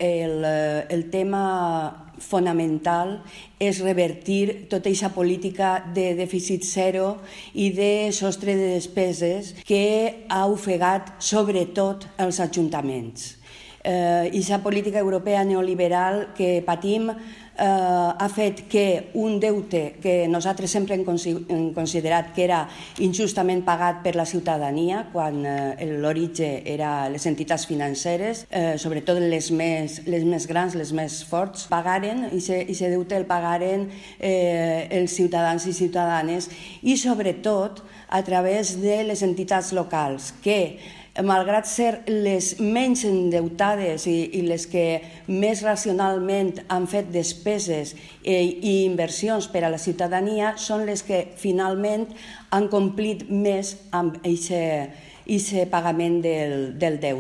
El tema fonamental és revertir tota aquesta política de dèficit zero i de sostre de despeses que ha ofegat sobretot els ajuntaments. Aquesta política europea neoliberal que patim ha fet que un deute que nosaltres sempre hem considerat que era injustament pagat per la ciutadania, quan l'origen era les entitats financeres, sobretot les més grans, les més forts, pagaren, i aquest deute el pagaren els ciutadans i ciutadanes, i sobretot a través de les entitats locals, que malgrat ser les menys endeutades i les que més racionalment han fet despeses i inversions per a la ciutadania, són les que finalment han complit més amb aquest pagament del deute.